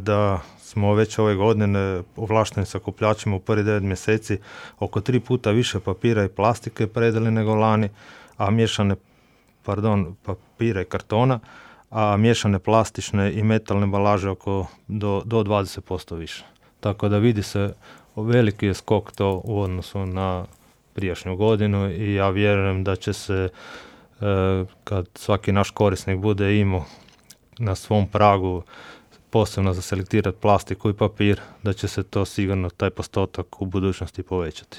da smo već ove godine ovlašteni sakupljačima u prvi 9 mjeseci oko 3 puta više papira i plastike predali nego lani, a papira i kartona, a miješane plastične i metalne ambalaže do 20% više. Tako da vidi se veliki je skok to u odnosu na prijašnju godinu i ja vjerujem da će se kad svaki naš korisnik bude imao na svom pragu posebno za selektirati plastiku i papir, da će se to sigurno taj postotak u budućnosti povećati.